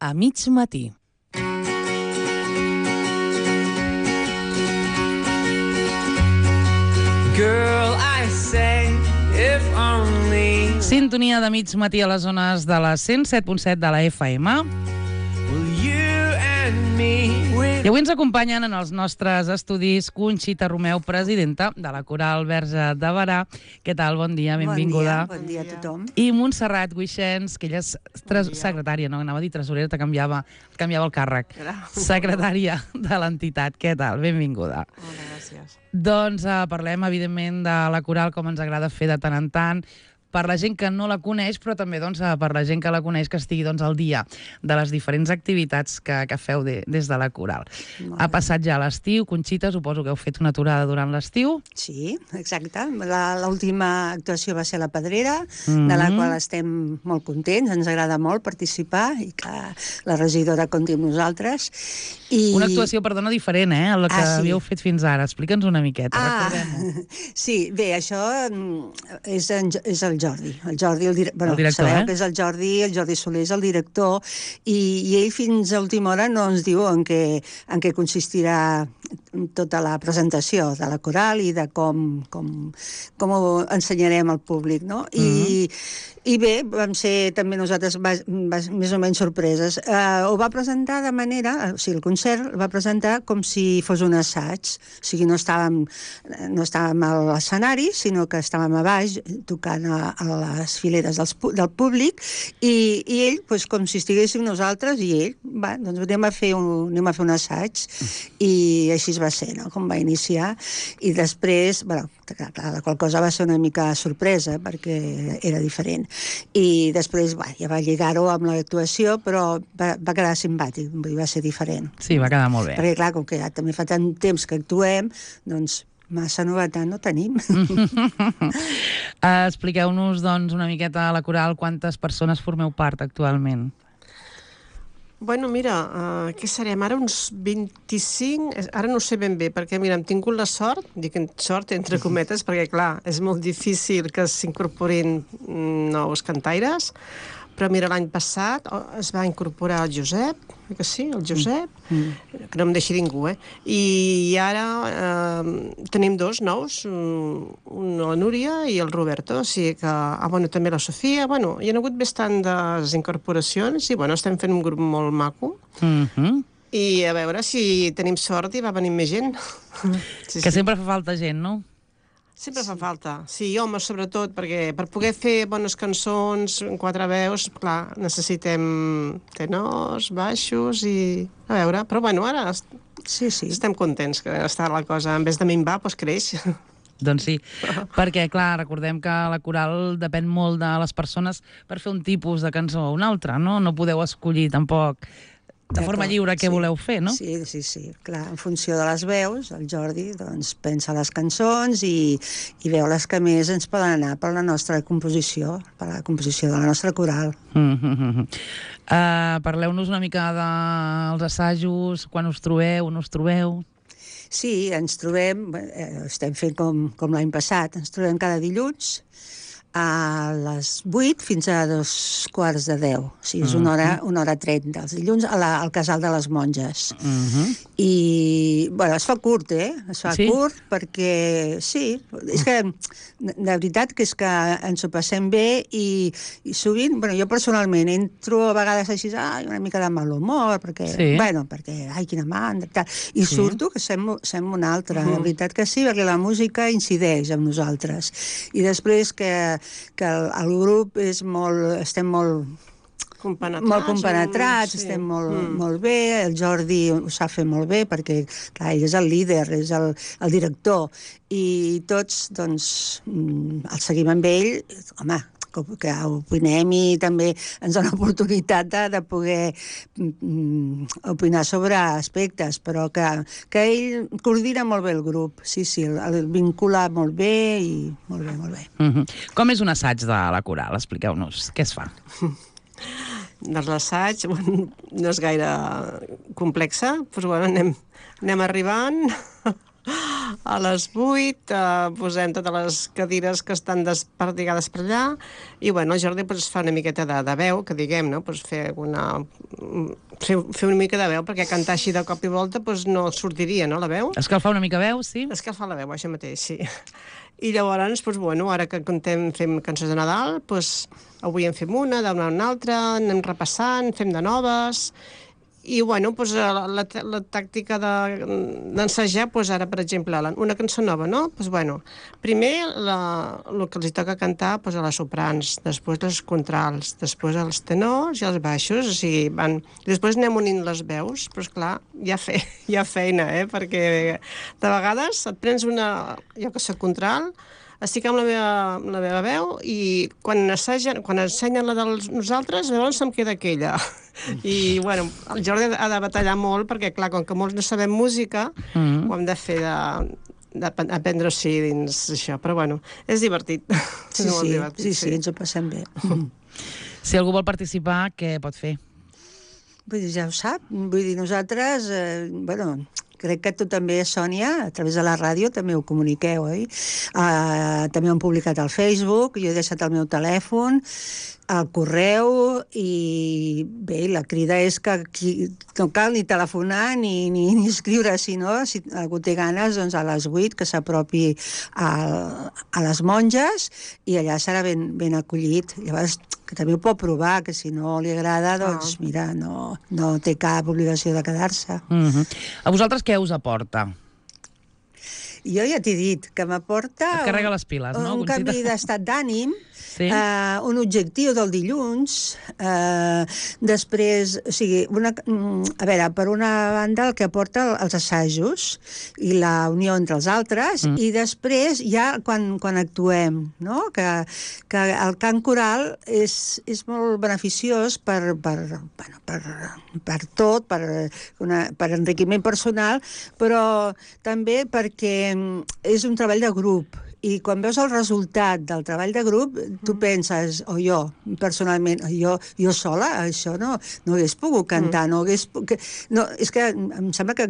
a mig matí. Girl, I say, if only Sintonia de mig matí a les zones de la 107.7 de la FM. will you and me I avui ens acompanyen en els nostres estudis Conxita Romeu, presidenta de la Coral Verge de Berà. Què tal? Bon dia, benvinguda. Bon dia a tothom. I Montserrat Guixens, que ella és secretària, no? Anava a dir tresorera, canviava el càrrec. Secretària de l'entitat. Què tal? Benvinguda. Hola, gràcies. Doncs parlem, evidentment, de la Coral, com ens agrada fer de tant en tant, per la gent que no la coneix, però també per la gent que la coneix, que estigui al dia de les diferents activitats que feu des de la Coral. Ha passat ja l'estiu, Conxita, suposo que heu fet una aturada durant l'estiu. Sí, exacte. L'última actuació va ser a la Pedrera, de la qual estem molt contents, ens agrada molt participar i que la regidora compti amb nosaltres. Una actuació, perdona, diferent, a la que havíeu fet fins ara. Explica'ns una miqueta, recordem-ho. Sí, bé, això és el Jordi. El director, sabeu que és el Jordi Soler és el director, i ell fins a última hora no ens diu en què consistirà tota la presentació de la Coral i de com ho ensenyarem al públic, no? I bé, vam ser també nosaltres més o menys sorpreses. Ho va presentar de manera, o sigui, el concert el va presentar com si fos un assaig, o sigui, no estàvem a l'escenari, sinó que estàvem a baix tocant a les fileres del públic, i ell, com si estiguéssim nosaltres, i ell, va, doncs anem a fer un assaig, i així va ser, no?, com va iniciar, i després, bueno, clar, la qual cosa va ser una mica sorpresa, perquè era diferent. I després ja va lligar-ho amb l'actuació, però va quedar simpàtic, va ser diferent. Sí, va quedar molt bé. Perquè, clar, com que ja també fa tant temps que actuem, doncs massa novetat no tenim. Expliqueu-nos, doncs, una miqueta a la Coral quantes persones formeu part actualment. Bueno, mira, què serem? Ara uns 25... Ara no ho sé ben bé, perquè, mira, hem tingut la sort, dic sort entre cometes, perquè, clar, és molt difícil que s'incorporin nous cantaires, però, mira, l'any passat es va incorporar el Josep, que sí, el Josep, que no em deixi ningú, i ara tenim dos nous, la Núria i el Roberto, o sigui que... bueno, també la Sofia, bueno, hi ha hagut bastantes incorporacions i, bueno, estem fent un grup molt maco. I a veure si tenim sort i va venir més gent. Que sempre fa falta gent, no? Sempre fa falta. Sí, home, sobretot, perquè per poder fer bones cançons en quatre veus, clar, necessitem tenors, baixos i... A veure, però bueno, ara estem contents que està la cosa, en vez de minvar, doncs creix. Doncs sí, perquè, clar, recordem que la Coral depèn molt de les persones per fer un tipus de cançó o un altre, no? No podeu escollir tampoc de forma lliure què voleu fer, no? Sí, clar, en funció de les veus, el Jordi doncs pensa les cançons i veu les que més ens poden anar per la nostra composició, per la composició de la nostra coral. Parleu-nos una mica dels assajos, quan us trobeu, on us trobeu? Sí, ens trobem, estem fent com l'any passat, ens trobem cada dilluns a les 8 fins a 9:45. O sigui, és una hora 30. Els dilluns al Casal de les Monges. I, bueno, es fa curt, Es fa curt perquè, sí, és que, de veritat que és que ens ho passem bé i sovint, bueno, jo personalment entro a vegades així, una mica de mal humor, perquè, bueno, perquè, quina mandra, tal, i surto que sembla una altra. De veritat que sí, perquè la música incideix en nosaltres. I després que el grup estem molt compenetrats, estem molt bé, el Jordi ho sap fer molt bé, perquè, clar, ell és el líder, és el director, i tots, doncs, el seguim amb ell, home, que opinem i també ens dona l'oportunitat de poder opinar sobre aspectes, però que ell coordina molt bé el grup, sí, el vincula molt bé i molt bé. Com és un assaig de la Coral? Expliqueu-nos, què es fa? Doncs l'assaig no és gaire complexa, doncs bueno, anem arribant A les 8 posem totes les cadires que estan desperdigades per allà i, bueno, el Jordi pues, fa una miqueta de veu, que diguem, no? Pues, fer una mica de veu, perquè cantar així de cop i volta pues, no sortiria, no, la veu? Escalfar una mica veu, sí? Escalfar la veu, això mateix, sí. I llavors, pues, bueno, ara que fem cançons de Nadal, pues, avui en fem una, demà una altra, anem repassant, fem de noves. I, bueno, doncs, la tàctica d'ensajar, doncs, ara, per exemple, una cançó nova, no? Doncs, bueno, primer el que els toca cantar doncs, a les soprans, després les contrals, després els tenors i els baixos, o sigui, van... Després anem unint les veus, però, esclar, hi ha feina, perquè de vegades et prens una... Jo que soc contralt, estic amb la meva veu i quan ensenyen la de nosaltres, llavors se'm queda aquella. I, bueno, el Jordi ha de batallar molt perquè, clar, com que molts no sabem música, ho hem de fer d'aprendre-s'hi dins això. Però, bueno, és divertit. Sí, ens ho passem bé. Si algú vol participar, què pot fer? Vull dir, ja ho sap. Vull dir, nosaltres, crec que tu també, Sònia, a través de la ràdio també ho comuniqueu, oi? També ho hem publicat al Facebook, jo he deixat el meu telèfon, al correu, i bé, la crida és que no cal ni telefonar ni escriure, sinó, si algú té ganes, doncs a les 8 que s'apropi a les monges i allà serà ben acollit. Llavors, que també ho pot provar, que si no li agrada, doncs mira, no té cap obligació de quedar-se. A vosaltres què us aporta? Jo ja t'he dit que m'aporta... Et carrega les piles, no? Un canvi d'estat d'ànim, sí? Un objectiu del dilluns, després, o sigui, a veure, per una banda el que aporta els assajos i la unió entre els altres, i després ja quan actuem, no? Que el cant coral és molt beneficiós per tot, per enriquiment personal, però també perquè és un treball de grup. I quan veus el resultat del treball de grup, tu penses, o jo, personalment, jo sola, això no hagués pogut cantar, és que em sembla que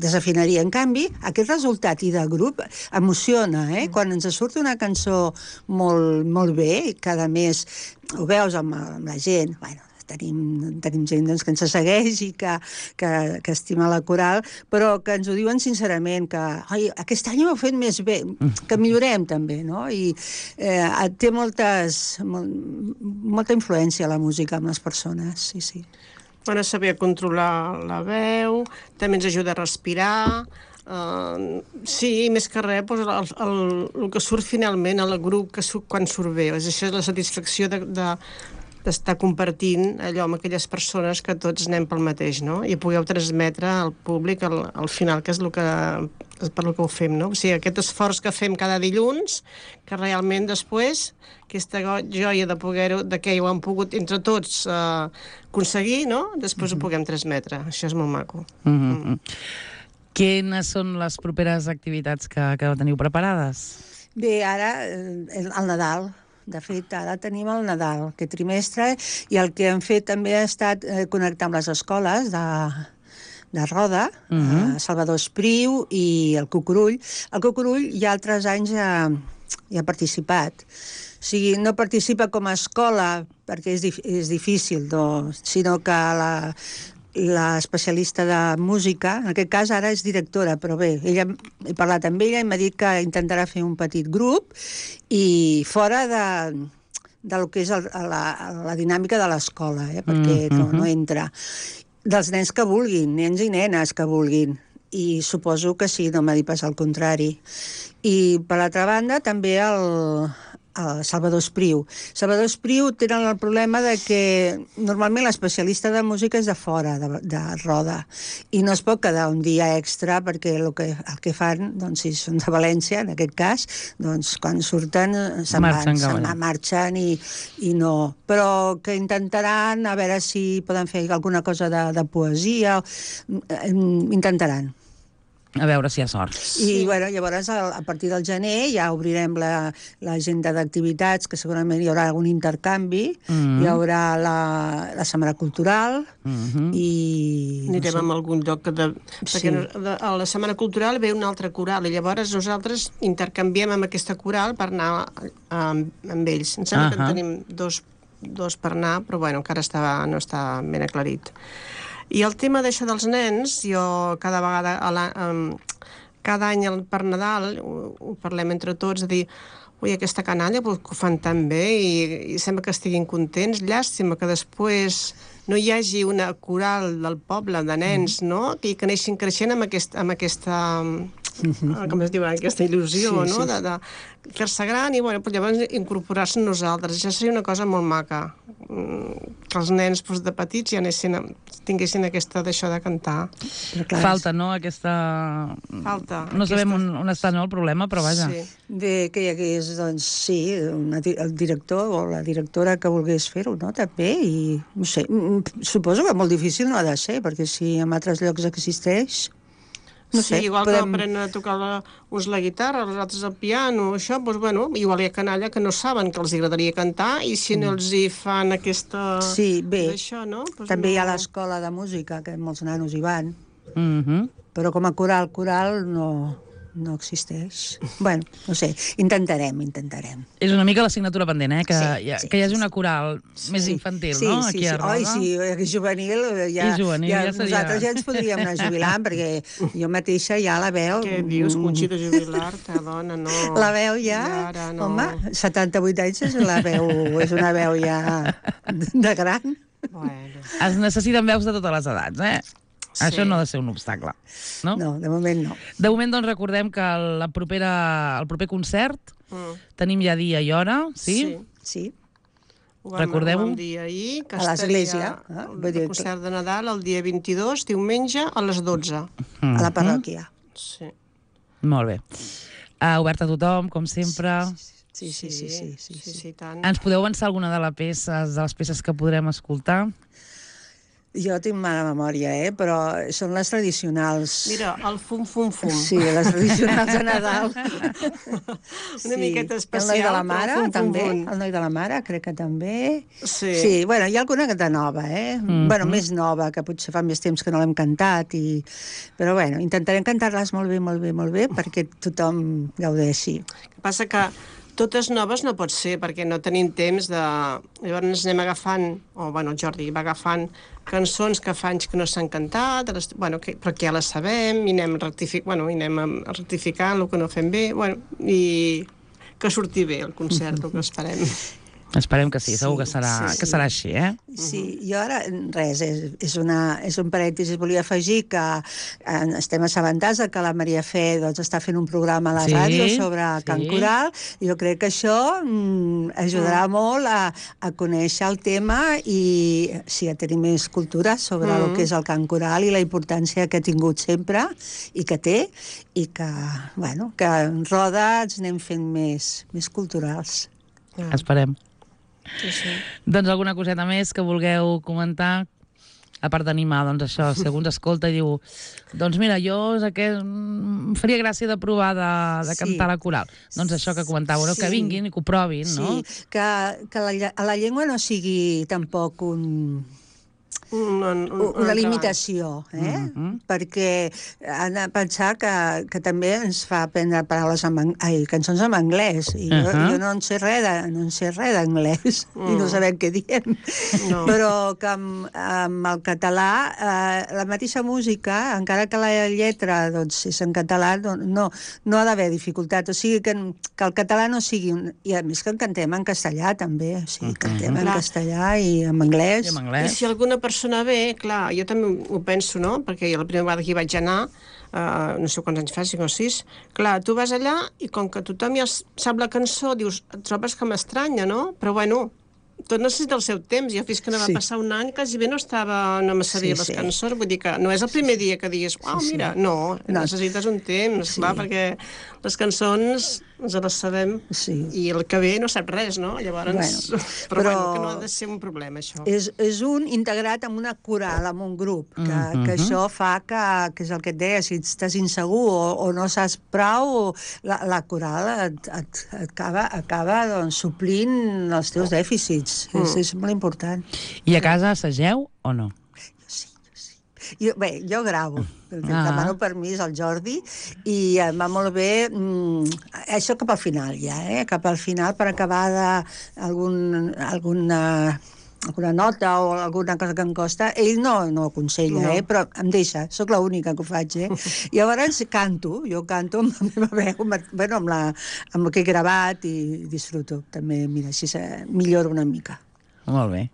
desafinaria. En canvi, aquest resultat i de grup emociona, Quan ens surt una cançó molt bé, cada mes ho veus amb la gent, bueno, tenim gent que ens segueix i que estima la coral, però que ens ho diuen sincerament, que aquest any ho heu fet més bé, que millorem també, no? I té molta influència la música amb les persones, sí. Bueno, saber controlar la veu, també ens ajuda a respirar, sí, més que res, el que surt finalment al grup quan surt bé, això és la satisfacció d'estar compartint allò amb aquelles persones que tots anem pel mateix, no? I pugueu transmetre al públic al final, que és per lo que ho fem, no? O sigui, aquest esforç que fem cada dilluns, que realment després, aquesta joia de que ho hem pogut entre tots aconseguir, no? Després ho puguem transmetre. Això és molt maco. Quines són les properes activitats que teniu preparades? Bé, ara el Nadal. De fet, ara tenim el Nadal, aquest trimestre, i el que hem fet també ha estat connectar amb les escoles de Roda, Salvador Espriu i el Cucurull. El Cucurull ja altres anys ja ha participat. O sigui, no participa com a escola perquè és difícil, sinó que l'especialista de música, en aquest cas ara és directora, però bé, he parlat amb ella i m'ha dit que intentarà fer un petit grup i fora del que és la dinàmica de l'escola, perquè no entra. Dels nens que vulguin, nens i nenes que vulguin, i suposo que sí, no m'ha dit pas al contrari. I per l'altra banda també el Salvador Espriu. Salvador Espriu tenen el problema de que normalment l'especialista de música és de fora, de Roda, i no es pot quedar un dia extra perquè el que fan, doncs, si són de València, en aquest cas, doncs, quan surten se'n marxen i no. Però que intentaran a veure si poden fer alguna cosa de poesia, intentaran. A veure si hi ha sort. I bueno, llavors a partir del gener ja obrirem l'agenda d'activitats, que segurament hi haurà algun intercanvi, hi haurà la Setmana Cultural i... Anirem a algun lloc perquè a la Setmana Cultural ve una altra coral i llavors nosaltres intercanviem amb aquesta coral per anar amb ells. Em sembla que en tenim dos per anar, però bueno, encara no està ben aclarit. I el tema d'això dels nens, jo cada vegada, cada any per Nadal, ho parlem entre tots, de dir, ui, aquesta canalla que ho fan tan bé i sembla que estiguin contents. Llàstima que després no hi hagi una coral del poble de nens, no?, que aneixin creixent amb aquesta com es diu, aquesta il·lusió, no?, de fer-se gran i, bueno, llavors incorporar-se en nosaltres. Això seria una cosa molt maca, que els nens de petits ja tinguessin aquesta d'això de cantar. Falta, no?, aquesta... Falta. No sabem on està, no, el problema, però vaja. Bé, que hi hagués, doncs, sí, el director o la directora que volgués fer-ho, no?, també, i no sé, suposo que molt difícil no ha de ser, perquè si en altres llocs existeix... No sé, igual que aprenen a tocar uns la guitarra, els altres el piano, això, doncs, bueno, igual hi ha canalla que no saben que els agradaria cantar i si no els hi fan aquesta... Sí, bé, això, no? també hi ha l'escola de música, que molts nanos hi van, però com a coral no existeix. Bueno, no sé, intentarem. És una mica l'assignatura pendent, que hi hagi una coral més infantil, no?, aquí a Roda. Sí, juvenil, nosaltres ja ens podríem anar jubilant, perquè jo mateixa ja la veu... Què dius, Conxita, jubilar-te, dona, no... La veu ja, home, 78 anys és és una veu ja de gran. Es necessiten veus de totes les edats, Això no ha de ser un obstacle, no? No, de moment no. De moment, doncs, recordem que el proper concert tenim ja dia i hora, sí? Sí. Recordeu-ho? Ho vam dir ahir, que a l'església. El concert de Nadal el dia 22, diumenge, a les 12. A la parròquia. Sí. Molt bé. Obert a tothom, com sempre. Sí, tant. Ens podeu avançar alguna de les peces que podrem escoltar? Jo tinc mala memòria, però són les tradicionals. Mira, el fum-fum-fum. Sí, les tradicionals de Nadal. Una miqueta especial. El Noi de la Mare, també. El Noi de la Mare, crec que també. Sí, bueno, hi ha alguna que de nova, Bueno, més nova, que potser fa més temps que no l'hem cantat. Però, bueno, intentarem cantar-les molt bé, perquè tothom gaudeixi. El que passa que totes noves no pot ser, perquè no tenim temps de... Llavors anem agafant, el Jordi va agafant cançons que fa anys que no s'han cantat, però que ja les sabem, i anem rectificant el que no fem bé, i que surti bé el concert, el que esperem. Esperem que sí, segur que serà així, Sí, jo ara, res, és un parèntesis. Volia afegir que estem assabentats que la Maria Fe està fent un programa a la ràdio sobre cant coral, i jo crec que això ajudarà molt a conèixer el tema i a tenir més cultura sobre el que és el cant coral i la importància que ha tingut sempre i que té, i que en Roda ens anem fent més culturals. Esperem. Sí. Doncs alguna coseta més que vulgueu comentar? A part d'animar, doncs això, si algú ens escolta i diu, doncs mira, jo em faria gràcia de provar de cantar la coral. Doncs això que comentàveu, que vinguin i que ho provin, no? Sí, que la llengua no sigui tampoc una limitació, perquè han de pensar que també ens fa aprendre cançons en anglès, i jo no en sé res d'anglès, i no sabem què diem, però que amb el català la mateixa música, encara que la lletra és en català, no ha d'haver dificultat, o sigui que el català no sigui... I a més que cantem en castellà també, o sigui, cantem en castellà i en anglès. I si alguna persona ve, clar, jo també ho penso, no?, perquè la primera vegada que hi vaig anar, no sé quants anys fa, 5 o 6, clar, tu vas allà i com que tothom ja sap la cançó, dius, et trobes que m'estranya, no? Però bueno, tot necessita el seu temps. Jo fins que no va passar un any, quasi bé no me sabia les cançons, vull dir que no és el primer dia que diguis, mira, no, necessites un temps, clar, perquè les cançons ens la sabem, i el que ve no sap res, no? Llavors, però que no ha de ser un problema, això. És un integrat en una coral, en un grup, que això fa que és el que et deia, si estàs insegur o no saps prou, la coral acaba doncs, suplint els teus dèficits. És molt important. I a casa assageu o no? Jo gravo, demano permís al Jordi i em va molt bé això cap al final ja, cap al final per acabar alguna nota o alguna cosa que em costa, ell no aconsella, però em deixa, sóc l'única que ho faig, I llavors canto amb la meva veu, amb el que he gravat i disfruto, també, mira, així milloro una mica. Molt bé.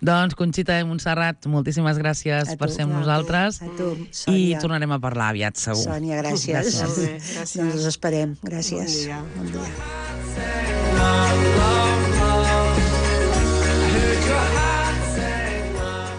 Doncs, Conxita de Montserrat, moltíssimes gràcies per ser amb nosaltres. A tu, Sònia. I tornarem a parlar aviat, segur. Sònia, gràcies. Gràcies. Doncs us esperem. Gràcies. Bon dia. Bon dia.